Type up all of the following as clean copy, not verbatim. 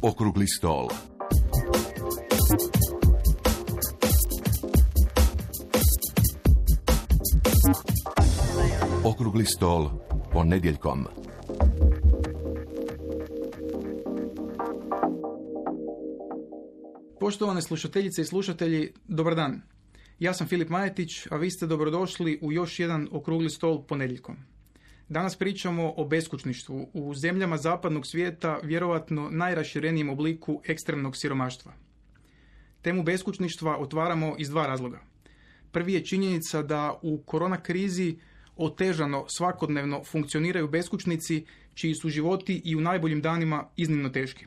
Okrugli stol. Okrugli stol ponedjeljkom. Poštovane slušateljice i slušatelji, dobar dan. Ja sam Filip Majetić, a vi ste dobrodošli u još jedan okrugli stol ponedjeljkom. Danas pričamo o beskućništvu, u zemljama zapadnog svijeta vjerovatno najraširenijem obliku ekstremnog siromaštva. Temu beskućništva otvaramo iz dva razloga. Prvi je činjenica da u korona krizi otežano svakodnevno funkcioniraju beskućnici čiji su životi i u najboljim danima iznimno teški.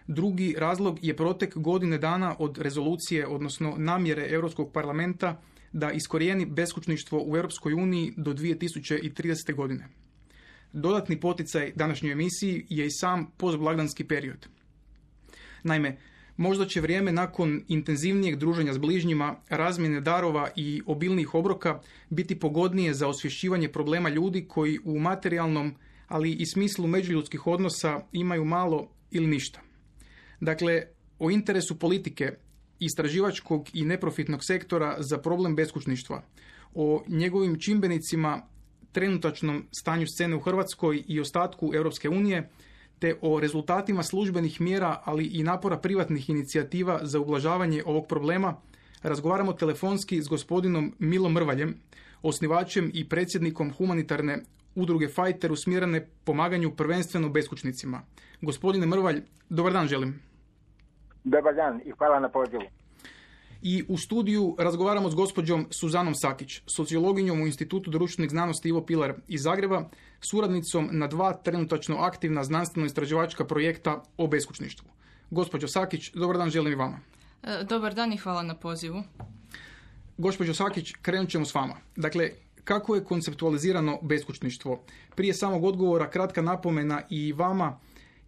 Drugi razlog je protek godine dana od rezolucije, odnosno namjere Europskog parlamenta da iskorijeni beskućništvo u Europskoj uniji do 2030. godine. Dodatni poticaj današnjoj emisiji je i sam postblagdanski period. Naime, možda će vrijeme nakon intenzivnijeg druženja s bližnjima, razmjene darova i obilnijih obroka biti pogodnije za osvješćivanje problema ljudi koji u materijalnom, ali i smislu međuljudskih odnosa imaju malo ili ništa. Dakle, o interesu politike, istraživačkog i neprofitnog sektora za problem beskućništva, o njegovim čimbenicima, trenutačnom stanju scene u Hrvatskoj i ostatku Europske unije, te o rezultatima službenih mjera, ali i napora privatnih inicijativa za ublažavanje ovog problema, razgovaramo telefonski s gospodinom Milom Mrvaljem, osnivačem i predsjednikom humanitarne udruge Fajter usmjerene pomaganju prvenstveno beskućnicima. Gospodine Mrvalj, dobar dan želim. Dobar dan i hvala na pozivu. I u studiju razgovaramo s gospođom Suzanom Sakić, sociologinjom u Institutu društvenih znanosti Ivo Pilar iz Zagreba, suradnicom na dva trenutačno aktivna znanstveno-istraživačka projekta o beskućništvu. Gospođo Sakić, dobar dan želim i vama. Dobar dan i hvala na pozivu. Gospođo Sakić, krenut ćemo s vama. Dakle, kako je konceptualizirano beskućništvo? Prije samog odgovora kratka napomena i vama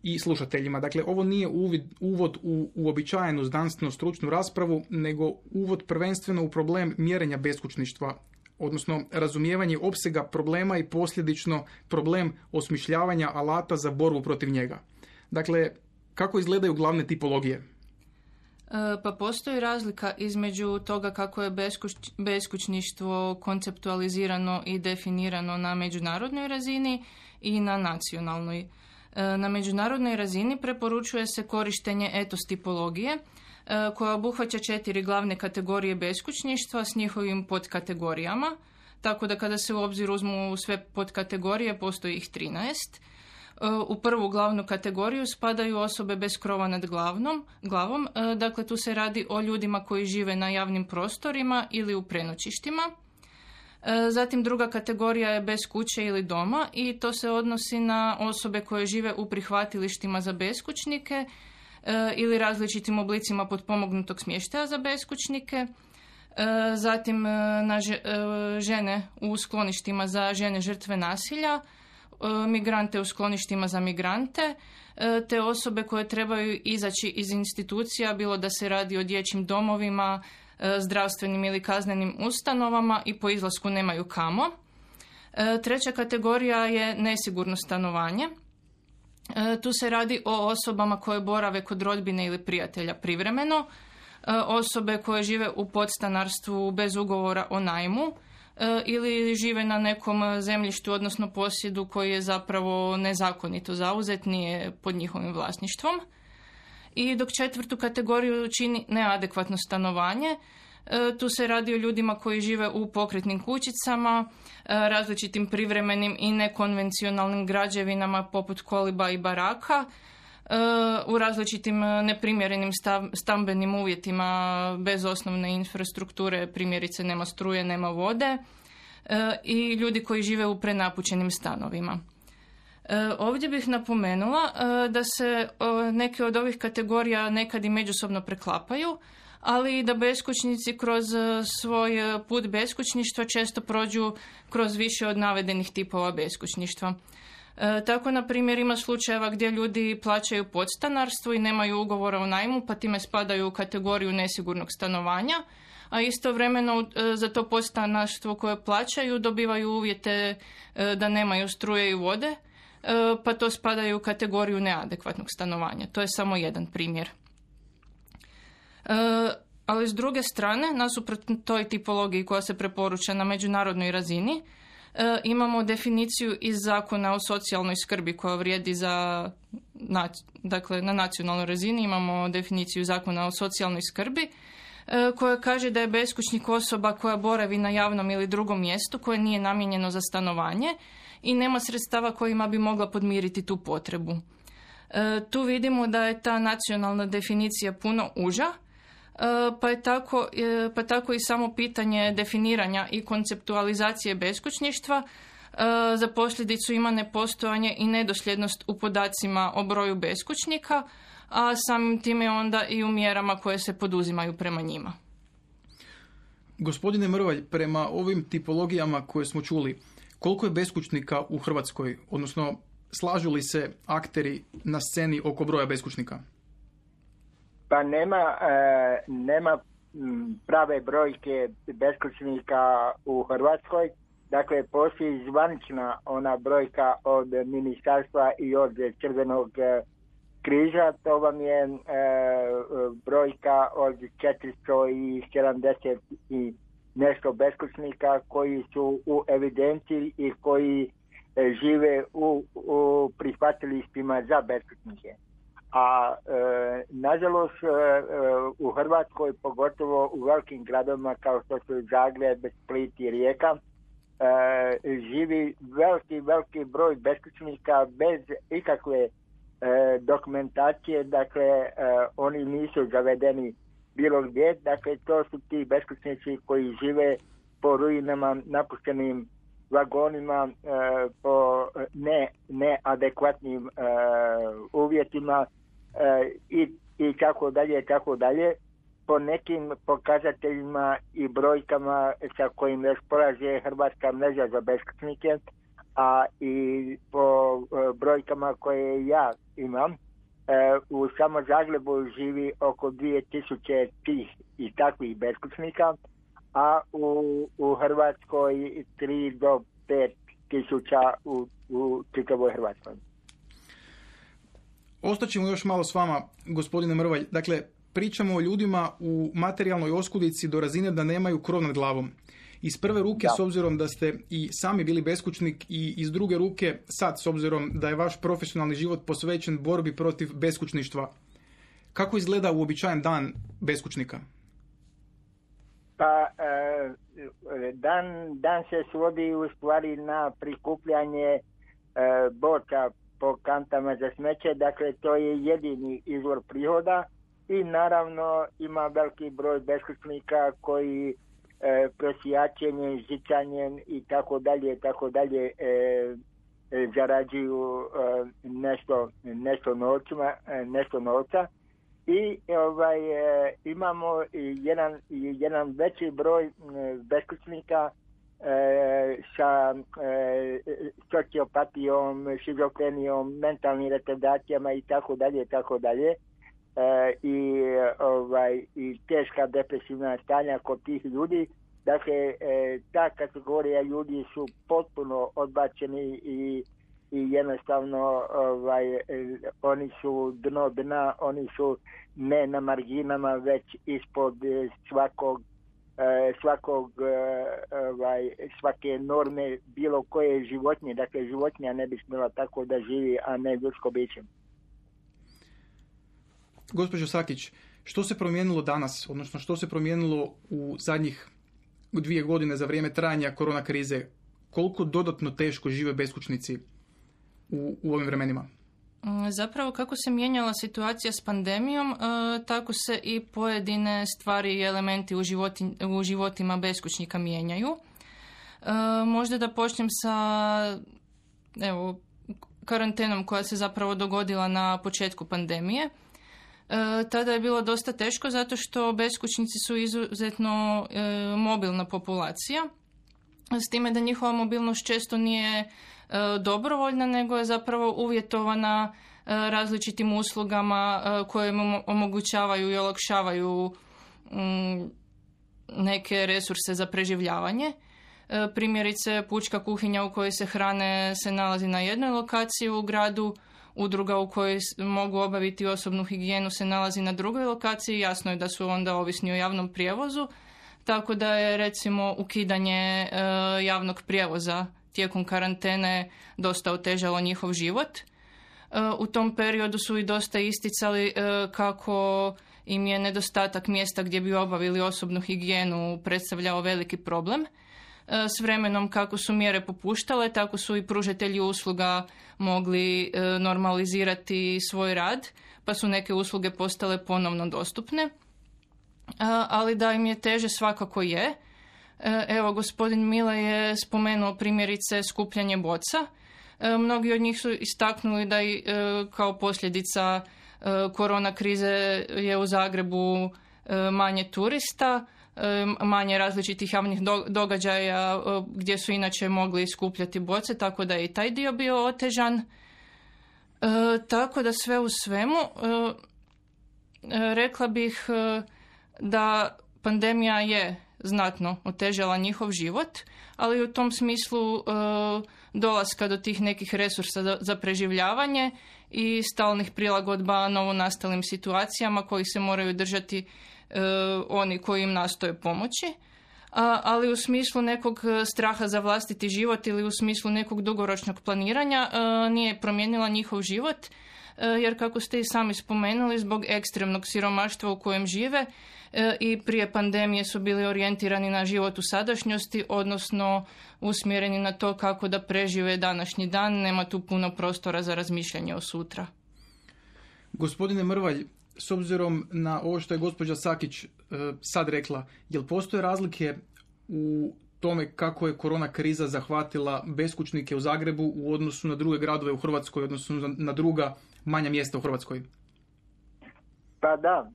i slušateljima. Dakle, ovo nije uvod u uobičajenu znanstveno-stručnu raspravu, nego uvod prvenstveno u problem mjerenja beskućništva, odnosno razumijevanje opsega problema i posljedično problem osmišljavanja alata za borbu protiv njega. Dakle, kako izgledaju glavne tipologije? Pa postoji razlika između toga kako je beskućništvo konceptualizirano i definirano na međunarodnoj razini i na nacionalnoj. Na međunarodnoj razini preporučuje se korištenje etos tipologije koja obuhvaća 4 glavne kategorije beskućništva s njihovim podkategorijama, tako da kada se u obzir uzmu sve podkategorije postoji ih 13. U prvu glavnu kategoriju spadaju osobe bez krova nad glavom, dakle tu se radi o ljudima koji žive na javnim prostorima ili u prenoćištima. Zatim druga kategorija je bez kuće ili doma i to se odnosi na osobe koje žive u prihvatilištima za beskućnike ili različitim oblicima potpomognutog smještaja za beskućnike. Zatim na žene u skloništima za žene žrtve nasilja, migrante u skloništima za migrante, te osobe koje trebaju izaći iz institucija, bilo da se radi o dječjim domovima, zdravstvenim ili kaznenim ustanovama i po izlasku nemaju kamo. Treća kategorija je nesigurno stanovanje. Tu se radi o osobama koje borave kod rodbine ili prijatelja privremeno, osobe koje žive u podstanarstvu bez ugovora o najmu ili žive na nekom zemljištu, odnosno posjedu koji je zapravo nezakonito zauzet, nije pod njihovim vlasništvom. I dok četvrtu kategoriju čini neadekvatno stanovanje, tu se radi o ljudima koji žive u pokretnim kućicama, različitim privremenim i nekonvencionalnim građevinama poput koliba i baraka, u različitim neprimjerenim stambenim uvjetima bez osnovne infrastrukture, primjerice nema struje, nema vode, i ljudi koji žive u prenapučenim stanovima. Ovdje bih napomenula da se neke od ovih kategorija nekad i međusobno preklapaju, ali i da beskućnici kroz svoj put beskućništva često prođu kroz više od navedenih tipova beskućništva. Tako, na primjer, ima slučajeva gdje ljudi plaćaju podstanarstvo i nemaju ugovora o najmu, pa time spadaju u kategoriju nesigurnog stanovanja, a istovremeno za to podstanarstvo koje plaćaju dobivaju uvjete da nemaju struje i vode, pa to spadaju u kategoriju neadekvatnog stanovanja. To je samo jedan primjer. Ali s druge strane, nasuprot toj tipologiji koja se preporuča na međunarodnoj razini, imamo definiciju iz Zakona o socijalnoj skrbi koja vrijedi dakle, na nacionalnoj razini imamo definiciju Zakona o socijalnoj skrbi koja kaže da je beskućnik osoba koja boravi na javnom ili drugom mjestu koje nije namijenjeno za stanovanje i nema sredstava kojima bi mogla podmiriti tu potrebu. Tu vidimo da je ta nacionalna definicija puno uža, pa tako i samo pitanje definiranja i konceptualizacije beskućništva za posljedicu ima nepostojanje i nedosljednost u podacima o broju beskućnika, a samim time onda i u mjerama koje se poduzimaju prema njima. Gospodine Mrvalj, prema ovim tipologijama koje smo čuli, koliko je beskućnika u Hrvatskoj, odnosno slažu li se akteri na sceni oko broja beskućnika? Pa nema prave brojke beskućnika u Hrvatskoj. Dakle, postoji zvanična ona brojka od ministarstva i od Crvenog križa. To vam je brojka od 470 i nešto beskućnika koji su u evidenciji i koji žive u prihvatilištima za beskućnike. A nažalost u Hrvatskoj, pogotovo u velikim gradovima kao što su Zagreb, Split i Rijeka, živi veliki broj beskućnika bez ikakve dokumentacije, dakle oni nisu zavedeni bilo gdje, dakle to su ti beskućnici koji žive po ruinama, napuštenim vagonima, po neadekvatnim uvjetima i tako dalje, po nekim pokazateljima i brojkama sa kojim raspolaže Hrvatska mreža za beskućnike, a i po brojkama koje ja imam, u samo Zagrebu živi oko 2000 tih i takvih beskućnika, a u Hrvatskoj 3 do 5 tisuća u čitavoj Hrvatskoj. Ostaćemo još malo s vama, gospodine Mrvalj. Dakle, pričamo o ljudima u materijalnoj oskudici do razine da nemaju krov nad glavom. Iz prve ruke, s obzirom da ste i sami bili beskućnik, i iz druge ruke sad, s obzirom da je vaš profesionalni život posvećen borbi protiv beskućništva. Kako izgleda uobičajen dan beskućnika? Pa dan se svodi u stvari na prikupljanje boca po kantama za smeće, dakle to je jedini izvor prihoda i naravno ima veliki broj beskućnika koji prosijačenjem, žičanjem i tako dalje zarađuju nešto novca. I imamo jedan veći broj beskućnika sa sociopatijom, šizofrenijom, mentalnim retardacijama i tako dalje. I teška depresivna stanja kod tih ljudi. Dakle, ta kategorija ljudi su potpuno odbačeni i jednostavno oni su dno dna, oni su ne na marginama, već ispod svake norme bilo koje životinje. Dakle, životinja ne bi smjela tako da živi, a ne ljudsko biće. Gospođo Sakić, što se promijenilo danas, odnosno što se promijenilo u zadnjih 2 godine za vrijeme trajanja korona krize? Koliko dodatno teško žive beskućnici u ovim vremenima? Zapravo, kako se mijenjala situacija s pandemijom, tako se i pojedine stvari i elementi u životima beskućnika mijenjaju. Možda da počnem sa karantenom koja se zapravo dogodila na početku pandemije. Tada je bilo dosta teško zato što beskućnici su izuzetno mobilna populacija, s time da njihova mobilnost često nije dobrovoljna, nego je zapravo uvjetovana različitim uslugama koje im omogućavaju i olakšavaju neke resurse za preživljavanje. Primjerice, pučka kuhinja u kojoj se hrane se nalazi na jednoj lokaciji u gradu, udruga u kojoj mogu obaviti osobnu higijenu se nalazi na drugoj lokaciji, jasno je da su onda ovisni o javnom prijevozu, tako da je recimo ukidanje javnog prijevoza tijekom karantene dosta otežalo njihov život. U tom periodu su i dosta isticali kako im je nedostatak mjesta gdje bi obavili osobnu higijenu predstavljao veliki problem. S vremenom kako su mjere popuštale, tako su i pružatelji usluga mogli normalizirati svoj rad, pa su neke usluge postale ponovno dostupne. Ali da im je teže svakako je. Evo, gospodin Mile je spomenuo primjerice skupljanje boca. Mnogi od njih su istaknuli da i kao posljedica korona krize je u Zagrebu manje turista, manje različitih javnih događaja gdje su inače mogli skupljati boce, tako da je i taj dio bio otežan. Tako da sve u svemu rekla bih da pandemija je znatno otežala njihov život, ali u tom smislu dolaska do tih nekih resursa za preživljavanje i stalnih prilagodba novonastalim situacijama koji se moraju držati oni koji im nastoje pomoći, ali u smislu nekog straha za vlastiti život ili u smislu nekog dugoročnog planiranja nije promijenila njihov život, jer kako ste i sami spomenuli, zbog ekstremnog siromaštva u kojem žive i prije pandemije su bili orijentirani na život u sadašnjosti, odnosno usmjereni na to kako da prežive današnji dan, nema tu puno prostora za razmišljanje o sutra. Gospodine Mrvalj, s obzirom na ovo što je gospođa Sakić sad rekla, jel postoje razlike u tome kako je korona kriza zahvatila beskućnike u Zagrebu u odnosu na druge gradove u Hrvatskoj, odnosno na druga manja mjesta u Hrvatskoj? Pa da,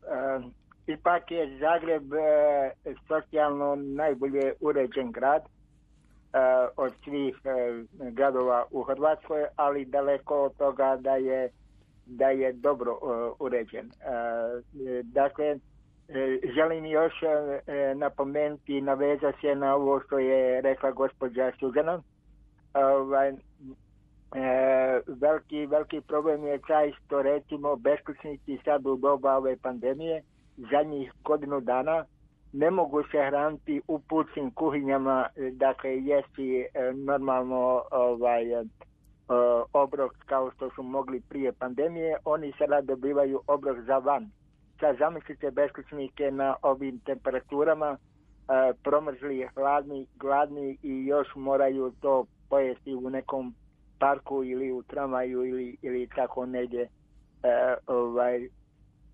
ipak je Zagreb socijalno najbolje uređen grad od svih gradova u Hrvatskoj, ali daleko od toga da je dobro uređen. Dakle, želim još napomenuti i navezati se na ovo što je rekla gospođa Suzana. Veliki problem je taj što recimo beskućnici sad u doba ove pandemije zadnjih godinu dana ne mogu se hraniti u pučkim kuhinjama, dakle jesti normalno obrok kao što su mogli prije pandemije. Oni sada dobivaju obrok za van. Sad zamislite beskućnike na ovim temperaturama, promrzli, gladni i još moraju to pojesti u nekom parku ili u tramvaju ili tako negdje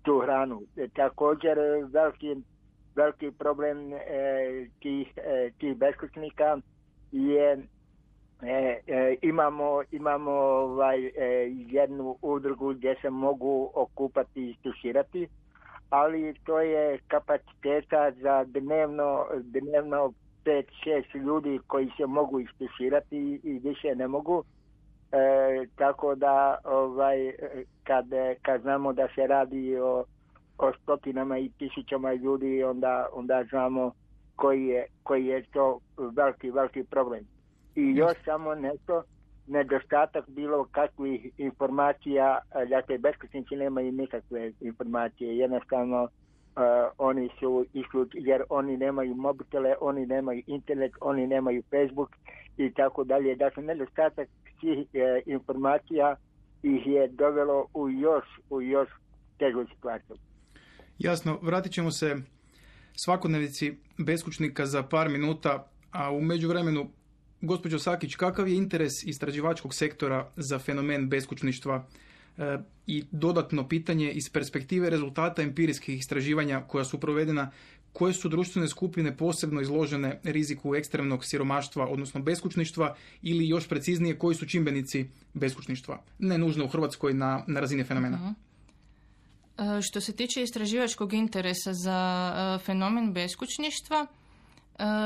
tu hranu. Također veliki problem tih beskućnika je imamo jednu udrugu gdje se mogu okupati i stuširati, ali to je kapaciteta za dnevno 5-6 ljudi koji se mogu istuširati i više ne mogu. Tako da kad znamo da se radi o stotinama i tisućama ljudi, onda znamo koji je to veliki problem. I još samo nešto, nedostatak bilo kakvih informacija, dakle beskućnici nemaju nikakve informacije, jednostavno oni su jer oni nemaju mobitele, oni nemaju internet, oni nemaju Facebook i tako dalje. Dakle, nedostatak svih informacija ih je dovelo u još težu situaciju. Jasno, vratit ćemo se svakodnevici beskućnika za par minuta, a u međuvremenu, gospođo Sakić, kakav je interes istraživačkog sektora za fenomen beskućništva? I dodatno pitanje iz perspektive rezultata empirijskih istraživanja koja su provedena, koje su društvene skupine posebno izložene riziku ekstremnog siromaštva, odnosno beskućništva, ili još preciznije, koji su čimbenici beskućništva? Ne nužno u Hrvatskoj na razini fenomena. Što se tiče istraživačkog interesa za fenomen beskućništva,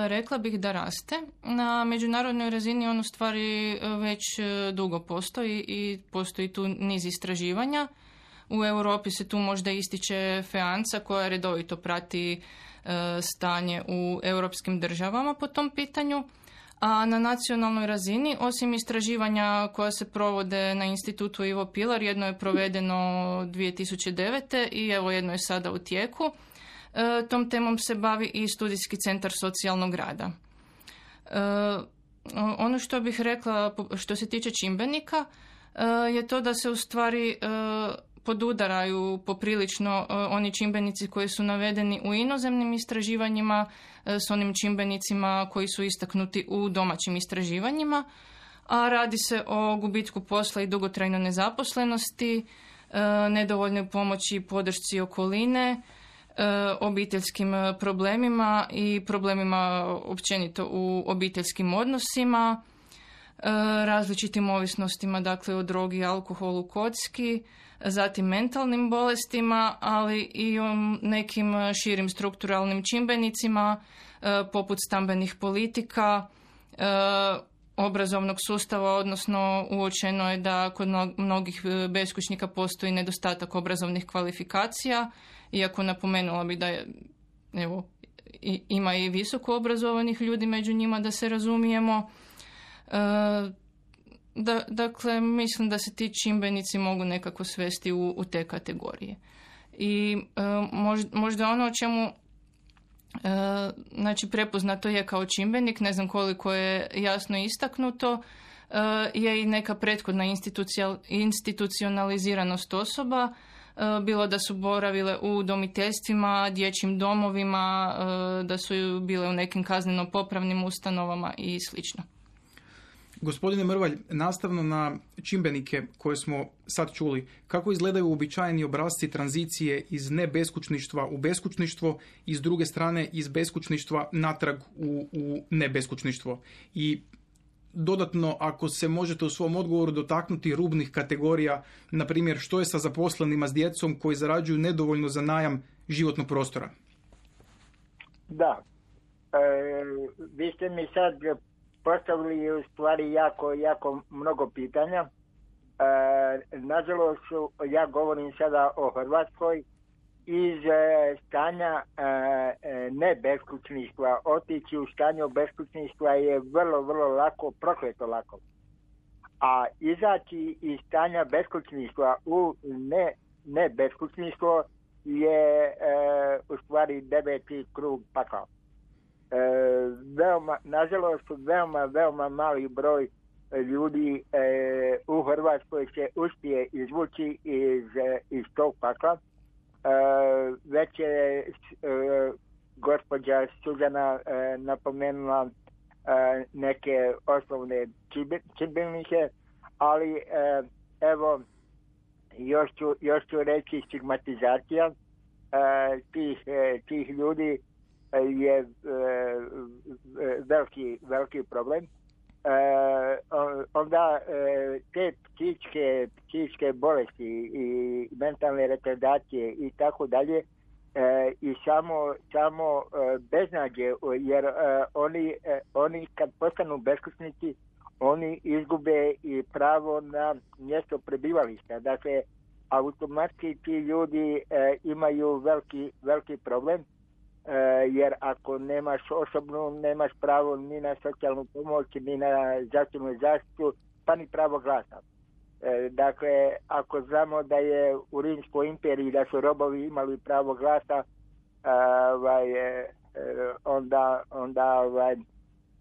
rekla bih da raste. Na međunarodnoj razini on u stvari već dugo postoji i postoji tu niz istraživanja. U Europi se tu možda ističe FEANCA koja redovito prati stanje u europskim državama po tom pitanju, A na nacionalnoj razini, osim istraživanja koja se provode na institutu Ivo Pilar, jedno je provedeno 2009. i evo jedno je sada u tijeku. Tom temom se bavi i studijski centar socijalnog rada. Ono što bih rekla što se tiče čimbenika je to da se u stvari podudaraju poprilično oni čimbenici koji su navedeni u inozemnim istraživanjima s onim čimbenicima koji su istaknuti u domaćim istraživanjima, a radi se o gubitku posla i dugotrajnoj nezaposlenosti, nedovoljnoj pomoći i podršci okoline, obiteljskim problemima i problemima općenito u obiteljskim odnosima, različitim ovisnostima, dakle o drogi, alkoholu, kocki, zatim mentalnim bolestima, ali i o nekim širim strukturalnim čimbenicima poput stambenih politika, obrazovnog sustava, odnosno uočeno je da kod mnogih beskućnika postoji nedostatak obrazovnih kvalifikacija, iako napomenula bi da je, evo, ima i visoko obrazovanih ljudi među njima, da se razumijemo. Dakle, mislim da se ti čimbenici mogu nekako svesti u te kategorije. I možda ono o čemu znači prepoznato je kao čimbenik, ne znam koliko je jasno istaknuto, je i neka prethodna institucionaliziranost osoba, bilo da su boravile u udomiteljstvima, dječjim domovima, da su bile u nekim kazneno-popravnim ustanovama i slično. Gospodine Mrvalj, nastavno na čimbenike koje smo sad čuli, kako izgledaju uobičajeni obrasci tranzicije iz nebeskućništva u beskućništvo i s druge strane iz beskućništva natrag u nebeskućništvo? I dodatno, ako se možete u svom odgovoru dotaknuti rubnih kategorija, na primjer što je sa zaposlenima s djecom koji zarađuju nedovoljno za najam životnog prostora? Da, vi ste mi sad postavili u stvari jako mnogo pitanja. Nažalost, ja govorim sada o Hrvatskoj. Iz stanja nebeskućništva otići u stanje beskućništva je vrlo lako, prokleto lako. A izaći iz stanja beskućništva u nebeskućništvo je u stvari 9. krug pakla. Nažalost, veoma mali broj ljudi u Hrvatskoj se uspije izvući iz tog pakla. Već je gospođa Suzana napomenula neke osnovne čimbenike, ali evo još ću reći stigmatizacija tih ljudi je veliki problem. Onda te psihičke bolesti i mentalne retardacije i tako dalje i samo beznađe, jer oni kad postanu beskućnici oni izgube i pravo na mjesto prebivališta. Dakle, automatski ti ljudi imaju veliki problem, jer ako nemaš osobnu, nemaš pravo ni na socijalnu pomoć, ni na zdravstvenu zaštitu, pa ni pravo glasa. Dakle, ako znamo da je u Rimskoj imperiji da su robovi imali pravo glasa, onda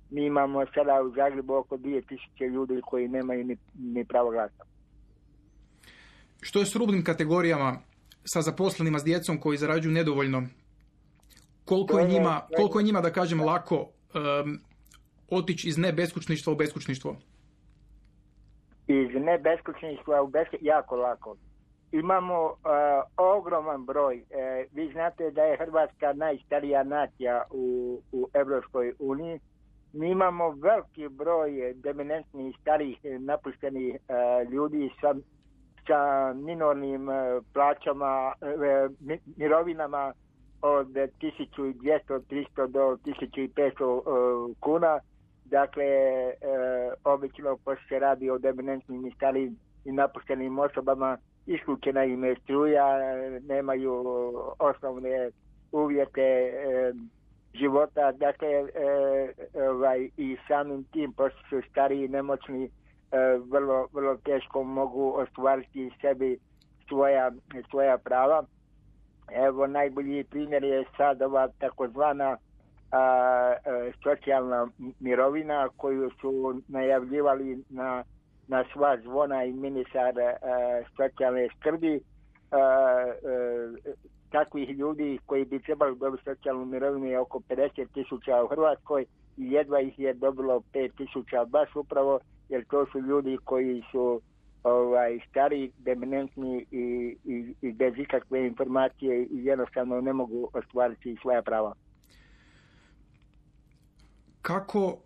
mi imamo sada u Zagrebu oko 2000 ljudi koji nemaju ni pravo glasa. Što je s rubnim kategorijama sa zaposlenima s djecom koji zarađuju nedovoljno? Koliko je njima, da kažem, lako otići iz nebeskućništva u beskućništvo? Iz nebeskućništva u beskućništvo jako lako. Imamo ogroman broj. Vi znate da je Hrvatska najstarija nacija u Europskoj uniji. Mi imamo veliki broj deminentnih, starih, napuštenih ljudi sa minornim plaćama, mirovinama od 1200, 300 do 1500 kuna. Dakle, obično pošto se radi o deminentnim i starijim i napuštenim osobama, isključena im je struja, nemaju osnovne uvjete života, dakle i samim tim, pošto su stariji i nemoćni, vrlo, vrlo teško mogu ostvariti sebi svoja prava. Evo, najbolji primjer je sad ova takozvana socijalna mirovina koju su najavljivali na sva zvona i ministar socijalne skrbi. Takvih ljudi koji bi trebali dobiti socijalnu mirovinu je oko 50.000 u Hrvatskoj i jedva ih je dobilo 5.000 baš upravo, jer to su ljudi koji su stari, dementni i bez ikakve informacije i jednostavno ne mogu ostvariti svoja prava. Kako,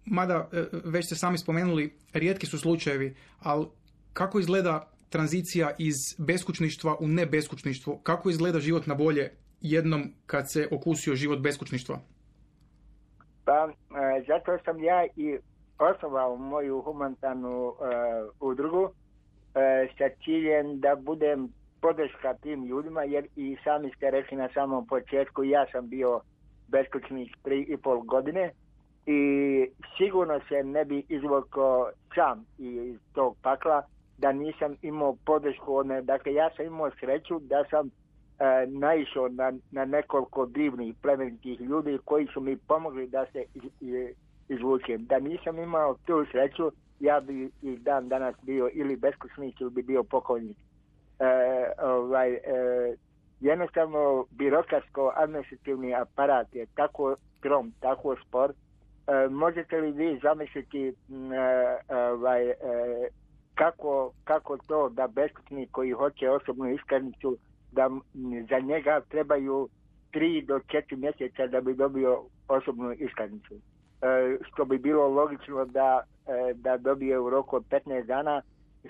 mada već ste sami spomenuli, rijetki su slučajevi, ali kako izgleda tranzicija iz beskućništva u nebeskućništvo? Kako izgleda život na bolje jednom kad se okusio život beskućništva? Pa, zato sam ja i osnovao moju humanitarnu udrugu sa ciljem da budem podrška tim ljudima, jer i sami ste rekli na samom početku, ja sam bio beskućnik 3,5 godine i sigurno se ne bi izvukao sam iz tog pakla da nisam imao podršku. Dakle, ja sam imao sreću da sam naišao na nekoliko divnih plemenitih ljudi koji su mi pomogli da se izvučem. Da nisam imao tu sreću, ja bi i dan danas bio ili beskućnik ili bi bio pokojnik. Jednostavno, birokratsko-administrativni aparat je tako trom, tako spor. Možete li vi zamisliti kako to da beskućnik koji hoće osobnu iskaznicu, da za njega trebaju 3 do 4 mjeseca da bi dobio osobnu iskaznicu. Što bi bilo logično da dobije u roku od 15 dana,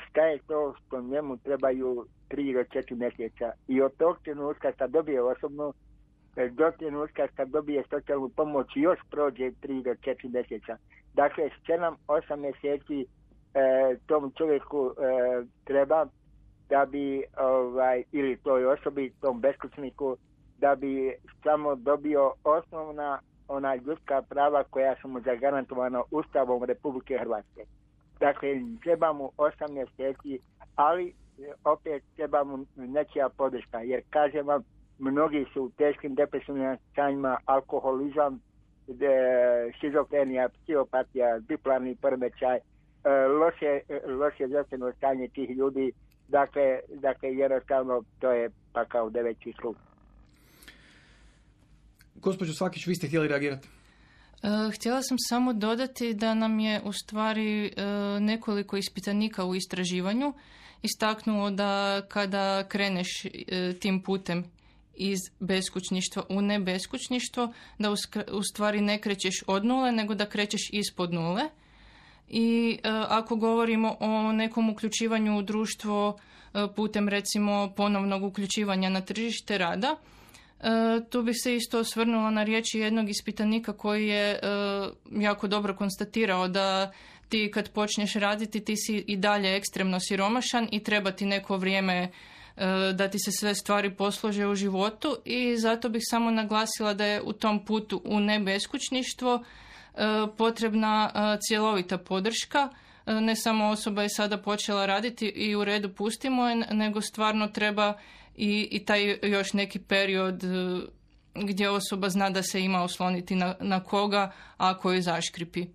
šta je to što njemu trebaju 3 do 4 mjeseca. I od tog trenutka kad dobije osobnu, do trenutka kad dobije socijalnu pomoć još prođe 3 do 4 mjeseca. Dakle, 7-8 mjeseci tom čovjeku treba da bi, ili toj osobi, tom beskućniku, da bi samo dobio ona ljudska prava koja su mu zagarantovana Ustavom Republike Hrvatske. Dakle, treba mu 8 mjeseci, ali opet treba mu nečija podrška, jer kažem vam, mnogi su u teškim depresivnim stanjima, alkoholizam, šizofrenija, psihopatija, bipolarni poremećaj, loše zdravstveno stanje tih ljudi. Dakle, jednostavno to je pakao 9. krug. Gospođo Svakić, vi ste htjeli reagirati? Htjela sam samo dodati da nam je u stvari nekoliko ispitanika u istraživanju istaknulo da kada kreneš tim putem iz beskućništva u nebeskućništvo, da u stvari ne krećeš od nule, nego da krećeš ispod nule. I ako govorimo o nekom uključivanju u društvo putem recimo ponovnog uključivanja na tržište rada, tu bih se isto osvrnula na riječi jednog ispitanika koji je jako dobro konstatirao da ti kad počneš raditi ti si i dalje ekstremno siromašan i treba ti neko vrijeme da ti se sve stvari poslože u životu, i zato bih samo naglasila da je u tom putu u nebeskućništvo potrebna cjelovita podrška. Ne samo osoba je sada počela raditi i u redu pustimo je, nego stvarno treba i taj još neki period gdje osoba zna da se ima osloniti na koga ako je zaškripi.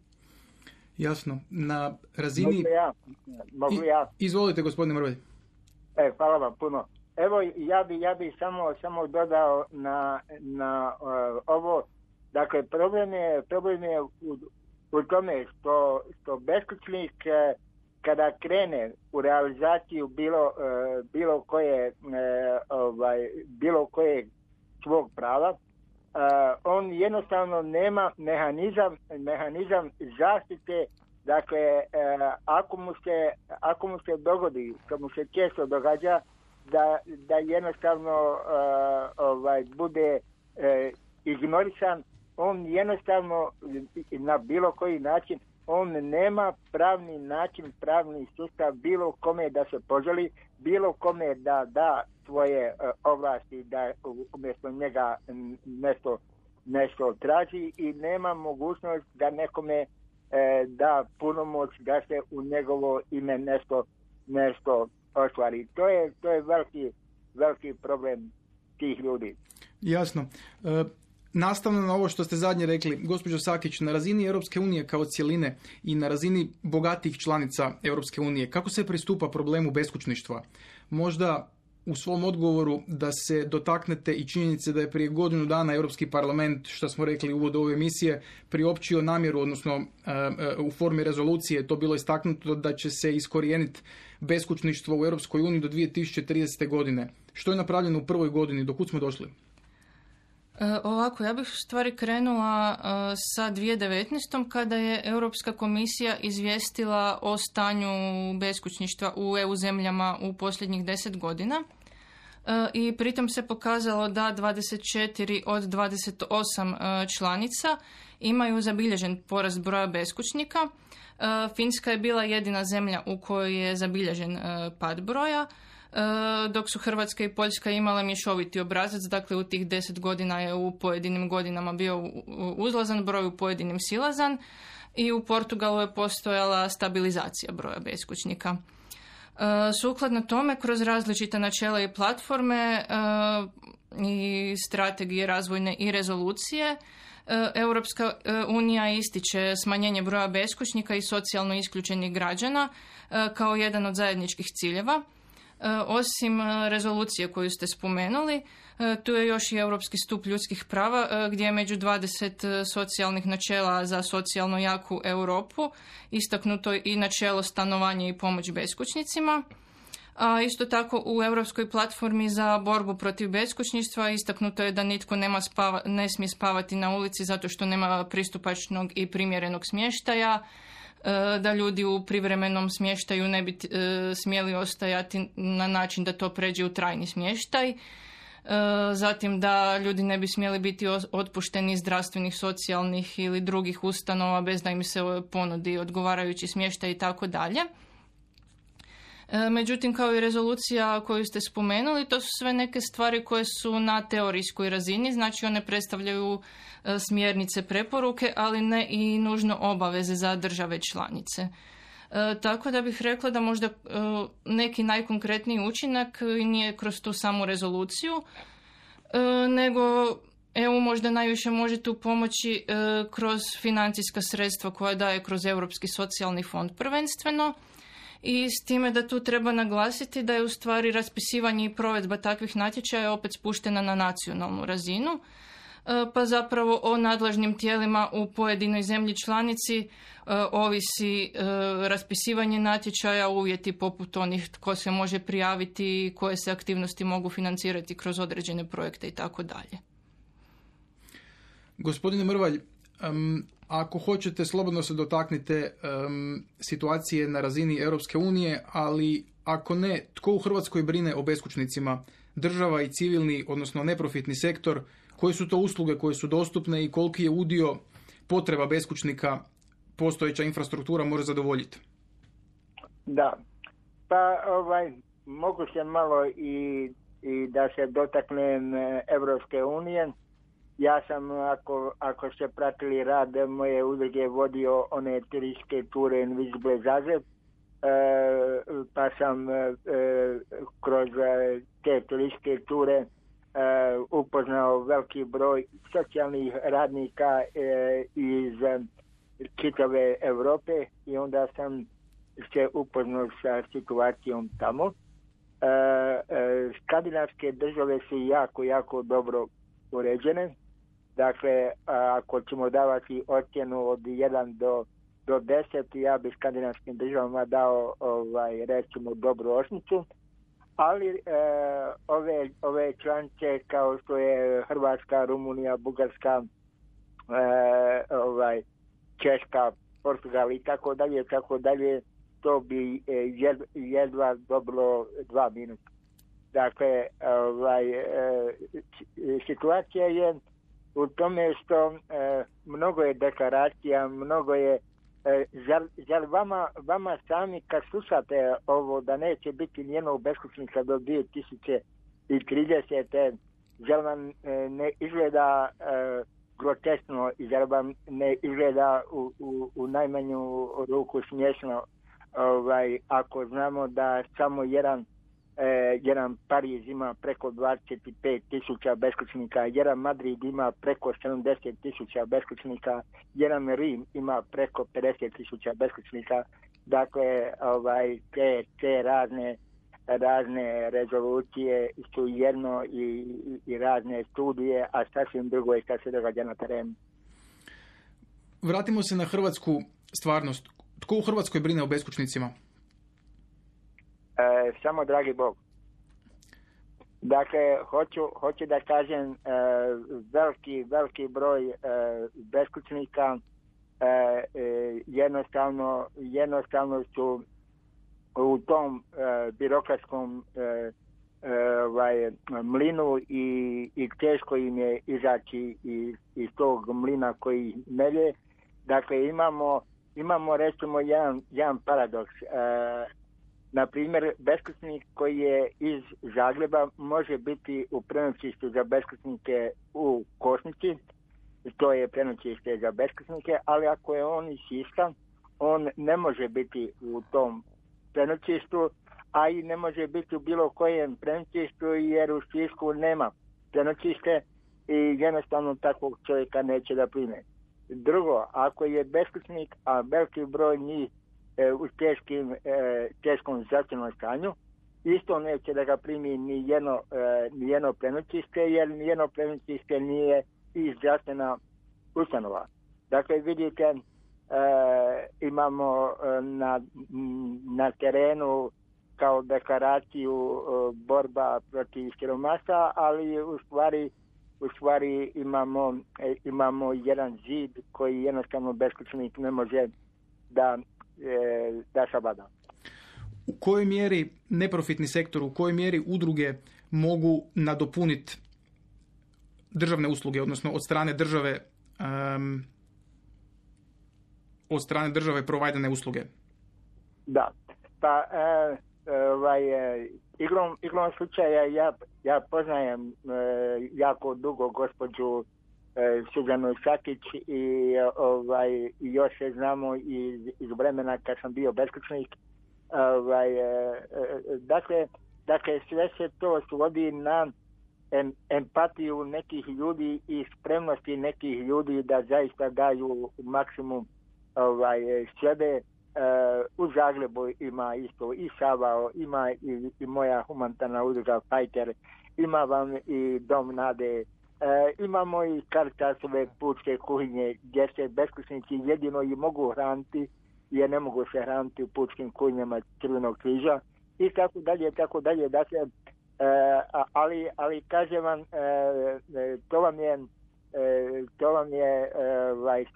Jasno. Na razini... Mogu ja? Izvolite, gospodine Mrvelj. Hvala vam puno. Evo, ja bi samo dodao na ovo. Dakle, problem je u tome što beskućnik kada krene u realizaciju bilo koje svog prava, on jednostavno nema mehanizam zaštite. Dakle, ako mu se dogodi, što mu se često događa, da jednostavno bude ignorisan, on jednostavno na bilo koji način on nema pravni način, pravni sustav bilo kome da se poželi, bilo kome da svoje ovlasti, da umjesto njega nešto traži i nema mogućnost da nekome da punomoć da se u njegovo ime nešto ostvari. To je veliki problem tih ljudi. Jasno. Nastavno na ovo što ste zadnje rekli, gospođo Sakić, na razini Europske unije kao cjeline i na razini bogatijih članica Europske unije, kako se pristupa problemu beskućništva? Možda u svom odgovoru da se dotaknete i činjenice da je prije godinu dana Europski parlament, što smo rekli u uvodu ove emisije, priopćio namjeru, odnosno u formi rezolucije to bilo istaknuto da će se iskorijeniti beskućništvo u Europskoj uniji do 2030. godine. Što je napravljeno u prvoj godini? Do kud smo došli? Ovako, ja bih u stvari krenula sa 2019. kada je Europska komisija izvijestila o stanju beskućništva u EU zemljama u posljednjih 10 godina. I pritom se pokazalo da 24 od 28 članica imaju zabilježen porast broja beskućnika. Finska je bila jedina zemlja u kojoj je zabilježen pad broja, dok su Hrvatska i Poljska imale mješoviti obrazac, dakle u tih 10 godina je u pojedinim godinama bio uzlazan broj, u pojedinim silazan, i u Portugalu je postojala stabilizacija broja beskućnika. Sukladno tome, kroz različita načela i platforme i strategije razvojne i rezolucije, Europska unija ističe smanjenje broja beskućnika i socijalno isključenih građana kao jedan od zajedničkih ciljeva. Osim rezolucije koju ste spomenuli, tu je još i Europski stup ljudskih prava gdje je među 20 socijalnih načela za socijalno jaku Europu istaknuto i načelo stanovanja i pomoć beskućnicima. A isto tako u Europskoj platformi za borbu protiv beskućništva istaknuto je da nitko ne smije spavati na ulici zato što nema pristupačnog i primjerenog smještaja, da ljudi u privremenom smještaju ne bi smjeli ostajati na način da to pređe u trajni smještaj, zatim da ljudi ne bi smjeli biti otpušteni iz zdravstvenih, socijalnih ili drugih ustanova bez da im se ponudi odgovarajući smještaj i tako dalje. Međutim, kao i rezolucija koju ste spomenuli, to su sve neke stvari koje su na teorijskoj razini, znači one predstavljaju smjernice, preporuke, ali ne i nužno obaveze za države članice. Tako da bih rekla da možda neki najkonkretniji učinak nije kroz tu samu rezoluciju, nego EU možda najviše može tu pomoći kroz financijska sredstva koja daje kroz Europski socijalni fond prvenstveno, i s time da tu treba naglasiti da je u stvari raspisivanje i provedba takvih natječaja opet spuštena na nacionalnu razinu, pa zapravo o nadležnim tijelima u pojedinoj zemlji članici ovisi raspisivanje natječaja, uvjeti poput onih tko se može prijaviti, koje se aktivnosti mogu financirati kroz određene projekte i tako dalje. Gospodine Mrvalj, ako hoćete, slobodno se dotaknite situacije na razini Europske unije, ali ako ne, tko u Hrvatskoj brine o beskućnicima? Država i civilni, odnosno neprofitni sektor, koje su to usluge koje su dostupne i koliki je udio potreba beskućnika postojeća infrastruktura može zadovoljiti? Da, pa mogu se malo i da se dotaknem Europske unije. Ja sam, ako ste pratili rad moje udruge, vodio one turističke ture Invisible Zagreb, pa sam kroz te turističke ture upoznao veliki broj socijalnih radnika iz čitave Europe i onda sam se upoznao sa situacijom tamo. Skandinavske države su jako dobro uređene. Dakle, ako ćemo davati ocjenu od 1 do 10, ja bi skandinavskim državama dao recimo dobru osmicu, ali ove članice kao što je Hrvatska, Rumunija, Bugarska, Češka, Portugal i tako dalje, to bi jedva dobilo 2 minuta. Dakle, situacija je u tome što mnogo je deklaracija, mnogo je Zar vama sami kad slušate ovo da neće biti nijednog beskućnika do 2030. Zar vam ne izgleda groteskno i zar vam ne izgleda u najmanju ruku smiješno ako znamo da samo jedan Pariz ima preko 25.000 beskućnika, jedan Madrid ima preko 70.000 beskućnika, jedan Rim ima preko 50.000 beskućnika. Dakle, te razne rezolucije su jedno i razne studije, a sasvim drugo je kad se događa na terenu. Vratimo se na hrvatsku stvarnost. Tko u Hrvatskoj brine o beskućnicima? Samo dragi Bog. Dakle, hoću da kažem veliki broj beskućnika jednostavno su u tom birokratskom mlinu i teško im je izaći iz tog mlina koji melje. Dakle, imamo recimo jedan paradoks. Na primjer, beskućnik koji je iz Zagreba može biti u prenoćištu za beskućnike u Kosnici, to je prenoćište za beskućnike, ali ako je on iz Siska, on ne može biti u tom prenoćištu, a i ne može biti u bilo kojem prenoćištu jer u Sisku nema prenoćište i jednostavno takvog čovjeka neće da prime. Drugo, ako je beskućnik, a veliki broj njih u teškom zdravstvenom stanju, isto neće da ga primi ni jedno prenoćište, jer ni jedno prenoćište nije i zdravstvena ustanova. Dakle, vidite, imamo na terenu kao deklaraciju borba protiv siromaštva, ali u stvari imamo jedan zid koji jednostavno beskućnik ne može da savlada. U kojoj mjeri neprofitni sektor, u kojoj mjeri udruge mogu nadopuniti državne usluge, odnosno od strane države provajdene usluge? Da, pa igrom slučaja ja poznajem jako dugo gospođu Suzanu Sakić i još se znamo iz vremena kad sam bio beskućnik. Dakle, sve se to svodi na empatiju nekih ljudi i spremnosti nekih ljudi da zaista daju maksimum sebe. U Zagrebu ima isto i Savao, ima i moja humanitarna udruga Fajter, ima vam i Dom Nade, imamo i Caritasove pučke kuhinje gdje se beskućnici jedino i mogu hraniti jer ne mogu se hraniti u pučkim kuhinjama Crvenog križa i tako dalje. Dakle, ali kažem vam, to vam je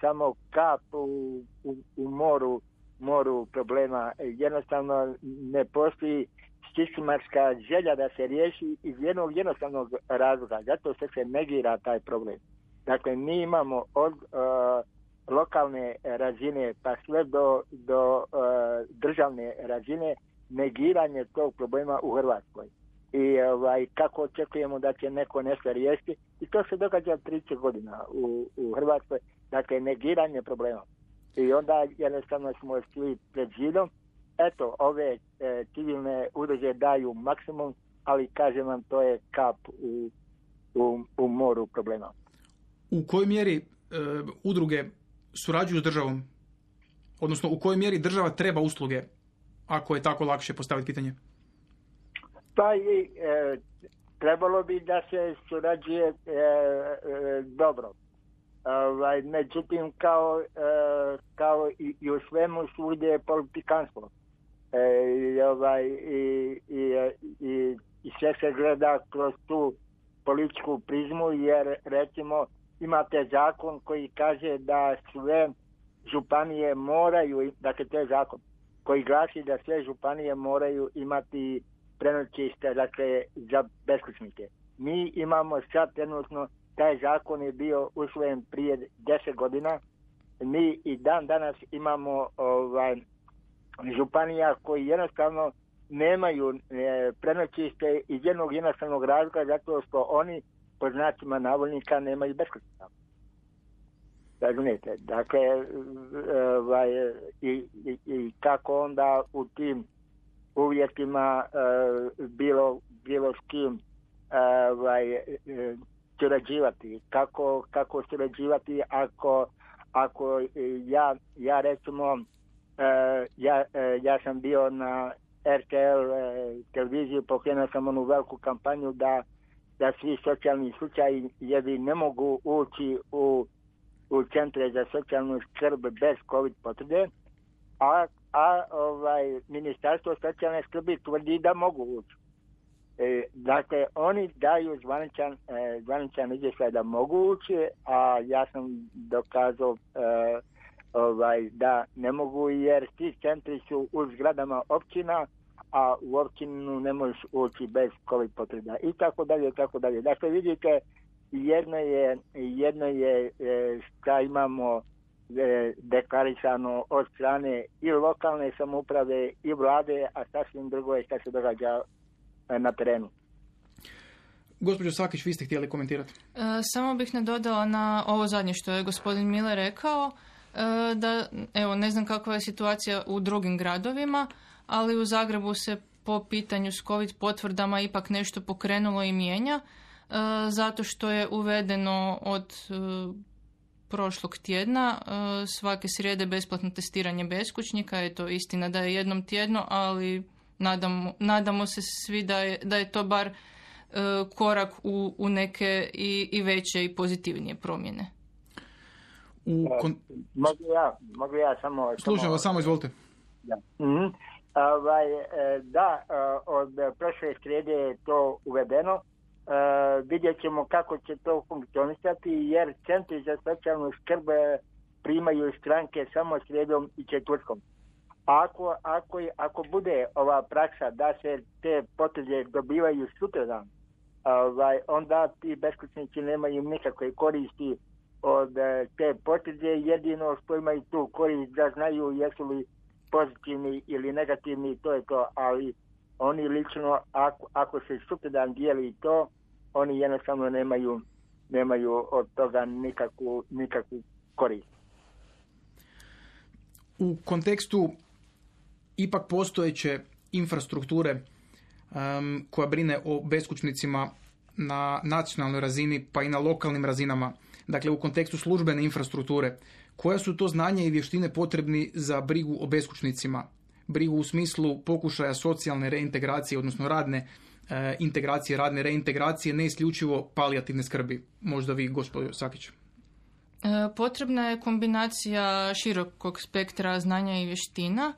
samo kap u moru problema. Jednostavno ne postoji sistematska želja da se riješi iz jednog jednostavnog razloga. Zato se negira taj problem. Dakle, mi imamo od lokalne razine pa sve do državne razine negiranje tog problema u Hrvatskoj. I kako očekujemo da će neko nešto riješiti. I to se događa 30 godina u Hrvatskoj. Dakle, negiranje problema. I onda jednostavno smo svi pred zidom. Eto, ove civilne udruge daju maksimum, ali kažem vam, to je kap u moru problema. U kojoj mjeri udruge surađuju s državom? Odnosno, u kojoj mjeri država treba usluge, ako je tako lakše postaviti pitanje? Pa i trebalo bi da se surađuje dobro. Međutim, kao i u svemu svugdje je politikanstvo. I sve se gleda kroz tu političku prizmu, jer recimo imate zakon koji kaže da sve županije moraju, dakle to je zakon koji glasi da sve županije moraju imati prenoćište, dakle za beskućnike. Mi imamo sad trenutno, taj zakon je bio usvojen prije 10 godina mi i dan danas imamo županija koji jednostavno nemaju prenoćište iz jednog jednostavnog razloga zato što oni po znacima navodnika nemaju beskućnika. Razumijete? Dakle, i kako onda u tim uvjetima bilo s kim surađivati. Kako surađivati ako ja recimo ja sam bio na RTL televiziji, pokrenuo sam onu veliku kampanju da svi socijalni slučajevi ne mogu ući u centre za socijalnu skrb bez COVID potvrde, a Ministarstvo socijalne skrbi tvrdi da mogu ući. Dakle, oni daju zvaničan izvještaj da mogu ući, a ja sam dokazao da ne mogu jer ti centri su u zgradama općina, a u općinu ne možeš ući bez COVID potvrda i tako dalje, tako dalje. Dakle, vidite, jedno je šta imamo deklarisano od strane i lokalne samouprave i vlade, a sasvim drugo je šta se događa na terenu. Gospođo Sakić, vi ste htjeli komentirati? Samo bih nadodala na ovo zadnje što je gospodin Miller rekao, da, evo, ne znam kakva je situacija u drugim gradovima, ali u Zagrebu se po pitanju s COVID potvrdama ipak nešto pokrenulo i mijenja, zato što je uvedeno od prošlog tjedna svake srijede besplatno testiranje beskućnika. Eto, istina da je jednom tjedno, ali nadamo se svi da je to bar korak u neke i veće i pozitivnije promjene. Mogu ja samo... Slušam vas, samo izvolite. Da. Od prošle srijede je to uvedeno. Vidjet ćemo kako će to funkcionisati, jer centri za socijalnu skrb primaju stranke samo srijedom i četvrtkom. Ako bude ova praksa da se te potvrde dobivaju sutradan, onda ti beskućnici nemaju nikakve koristi od te potvrde. Jedino što imaju tu korist da znaju jesu li pozitivni ili negativni, to je to, ali oni lično, ako se sutradan dijeli to, oni jednostavno nemaju od toga nikakvu korist. U kontekstu ipak postojeće infrastrukture koja brine o beskućnicima na nacionalnoj razini pa i na lokalnim razinama, dakle u kontekstu službene infrastrukture, koja su to znanja i vještine potrebni za brigu o beskućnicima? Brigu u smislu pokušaja socijalne reintegracije, odnosno radne integracije, radne reintegracije, ne isključivo palijativne skrbi. Možda vi, gospođo Sakić. Potrebna je kombinacija širokog spektra znanja i vještina.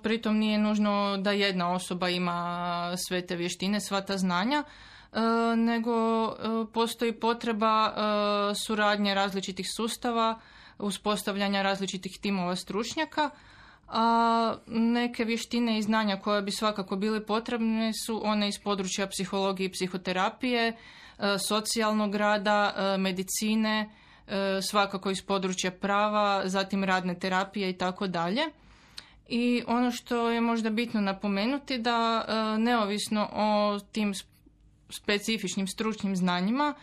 Pritom nije nužno da jedna osoba ima sve te vještine, sva ta znanja, nego postoji potreba suradnje različitih sustava, uspostavljanja različitih timova stručnjaka, a neke vještine i znanja koje bi svakako bile potrebne su one iz područja psihologije i psihoterapije, socijalnog rada, medicine, svakako iz područja prava, zatim radne terapije i tako dalje. I ono što je možda bitno napomenuti da neovisno o tim specifičnim stručnim znanjima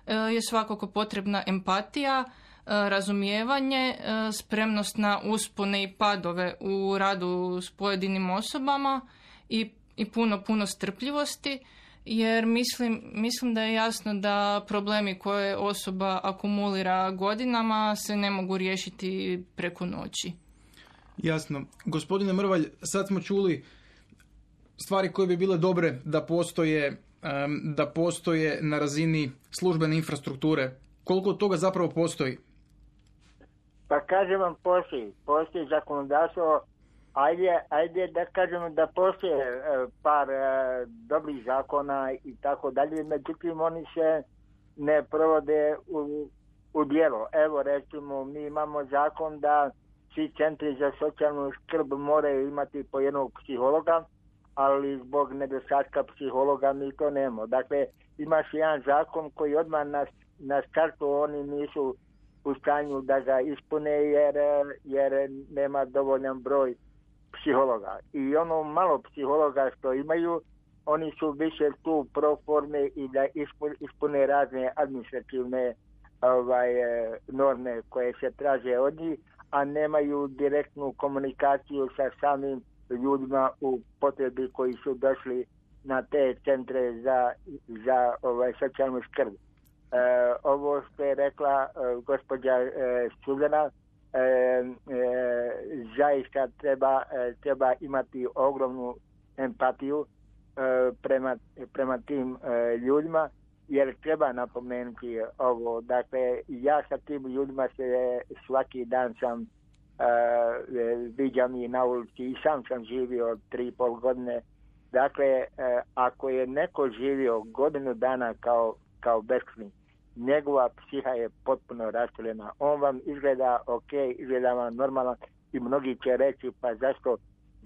je svakako potrebna empatija, razumijevanje, spremnost na uspone i padove u radu s pojedinim osobama i puno strpljivosti, jer mislim da je jasno da problemi koje osoba akumulira godinama se ne mogu riješiti preko noći. Jasno. Gospodine Mrvalj, sad smo čuli stvari koje bi bile dobre da postoje na razini službene infrastrukture. Koliko toga zapravo postoji? Pa kažem vam, postoji zakonodavstvo, ajde da kažemo da postoje par dobrih zakona i tako dalje, međutim oni se ne provode u djelo. Evo recimo, mi imamo zakon da svi centri za socijalnu skrb moraju imati po jednog psihologa, ali zbog nedostatka psihologa mi to nemamo. Dakle, imaš jedan zakon koji odmah na startu oni nisu u stanju da ga ispune jer nema dovoljan broj psihologa. I ono malo psihologa što imaju, oni su više tu pro forme i da ispune razne administrativne norme koje se traže od njih, a nemaju direktnu komunikaciju sa samim ljudima u potrebi koji su došli na te centre za socijalnu skrb. Ovo što je rekla gospođa Suzana, zaista treba imati ogromnu empatiju prema tim ljudima, jer treba napomenuti ovo. Dakle, ja sa tim ljudima se svaki dan sam viđam i na ulici i sam živio 3,5 godine. Dakle, ako je neko živio godinu dana kao beskućnik, njegova psiha je potpuno rastrojena. On vam izgleda ok, izgleda vam normalno i mnogi će reći pa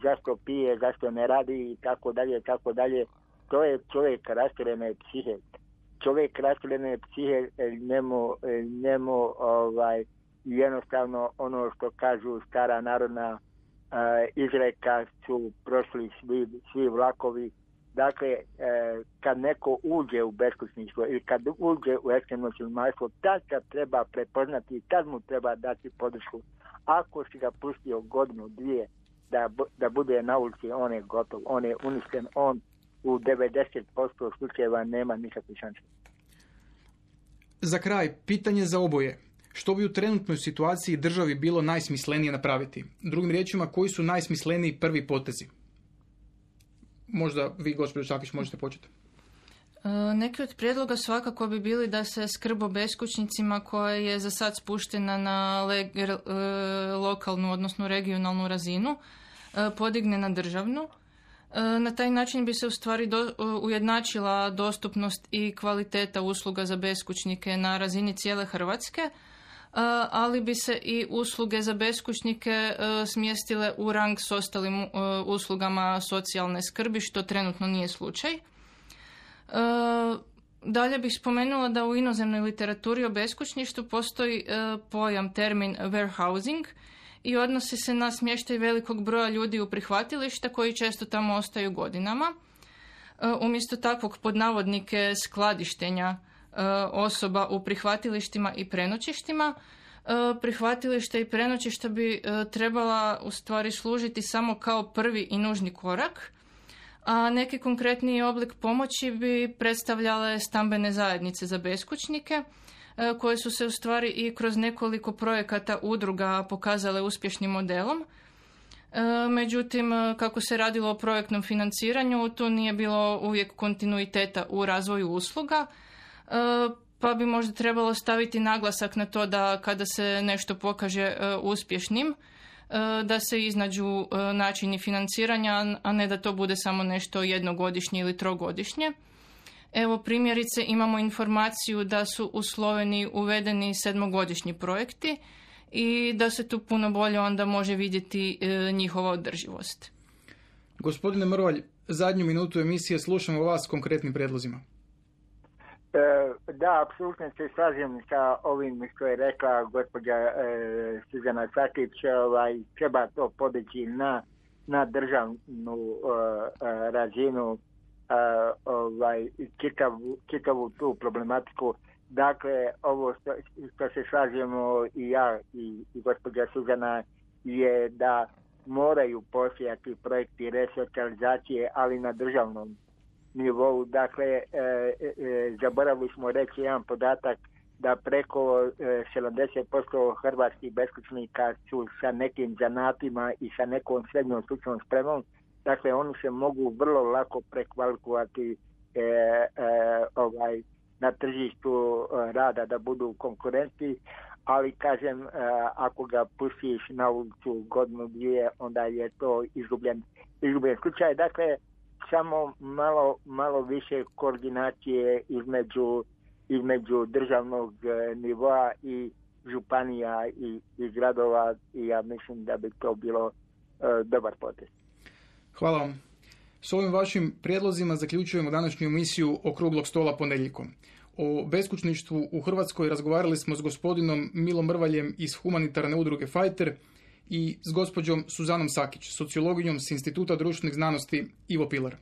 zašto pije, zašto ne radi i tako dalje. To je čovjek rastrojene psihe. Čovjek rastrojene psihe njemu jednostavno ono što kažu stara narodna izreka su prošli svi vlakovi. Dakle, kad neko uđe u beskućništvo ili kad uđe u ekstremno siromaštvo, tad ga treba prepoznati i tad mu treba dati podršku. Ako si ga pustio godinu, dvije da bude na ulici, on je gotov, on je uništen, on u 90% slučajeva nema nikakve šanse. Za kraj, pitanje za oboje. Što bi u trenutnoj situaciji državi bilo najsmislenije napraviti? Drugim riječima, koji su najsmisleniji prvi potezi? Možda vi, gospođo Čakić, možete početi. Neki od prijedloga svakako bi bili da se skrb o beskućnicima koja je za sad spuštena na lokalnu, odnosno regionalnu razinu, podigne na državnu. Na taj način bi se u stvari ujednačila dostupnost i kvaliteta usluga za beskućnike na razini cijele Hrvatske, ali bi se i usluge za beskućnike smjestile u rang s ostalim uslugama socijalne skrbi, što trenutno nije slučaj. Dalje bih spomenula da u inozemnoj literaturi o beskućništvu postoji termin warehousing i odnosi se na smještaj velikog broja ljudi u prihvatilišta koji često tamo ostaju godinama. Umjesto takvog pod navodnike skladištenja osoba u prihvatilištima i prenoćištima, prihvatilišta i prenoćišta bi trebala u stvari služiti samo kao prvi i nužni korak, a neki konkretniji oblik pomoći bi predstavljale stambene zajednice za beskućnike, koje su se u stvari i kroz nekoliko projekata udruga pokazale uspješnim modelom. Međutim, kako se radilo o projektnom financiranju, tu nije bilo uvijek kontinuiteta u razvoju usluga, pa bi možda trebalo staviti naglasak na to da kada se nešto pokaže uspješnim, da se iznađu načini financiranja, a ne da to bude samo nešto jednogodišnje ili trogodišnje. Evo primjerice imamo informaciju da su u Sloveniji uvedeni 7-godišnji projekti i da se tu puno bolje onda može vidjeti njihova održivost. Gospodine Mrvalj, zadnju minutu emisije slušamo vas s konkretnim prijedlozima. Da, apsolutno se slažem sa ovim što je rekla gospođa Suzana Čakić. Treba to podići na državnu razinu, čitavu tu problematiku. Dakle, ovo što se slažemo i ja i gospođa Suzana je da moraju postojati projekti resocijalizacije, ali na državnom nivou. Dakle, zaboravili smo reći jedan podatak da preko 70% hrvatskih beskućnika su sa nekim zanatima i sa nekom srednjom stručnom spremom. Dakle, oni se mogu vrlo lako prekvalifikovati na tržištu rada da budu konkurentni, ali kažem, ako ga pustiš na ulicu godinu, dvije, onda je to izgubljen slučaj. Dakle, samo malo više koordinacije između državnog nivoa i županija i gradova, i ja mislim da bi to bilo dobar potez. Hvala vam. S ovim vašim prijedlozima zaključujemo današnju emisiju Okruglog stola ponedjeljkom. O beskućništvu u Hrvatskoj razgovarali smo s gospodinom Milom Mrvaljem iz humanitarne udruge Fighter i s gospođom Suzanom Sakić, sociologinjom s Instituta društvenih znanosti Ivo Pilar.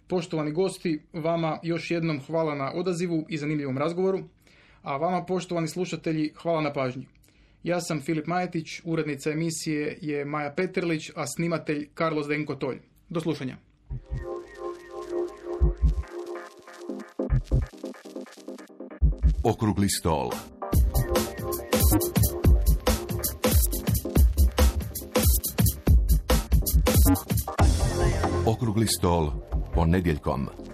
Poštovani gosti, vama još jednom hvala na odazivu i zanimljivom razgovoru, a vama, poštovani slušatelji, hvala na pažnji. Ja sam Filip Majetić, urednica emisije je Maja Peterlić, a snimatelj Carlos Denko Tolj. Do slušanja. Okrugli stol. Okrugli stol ponedjeljkom.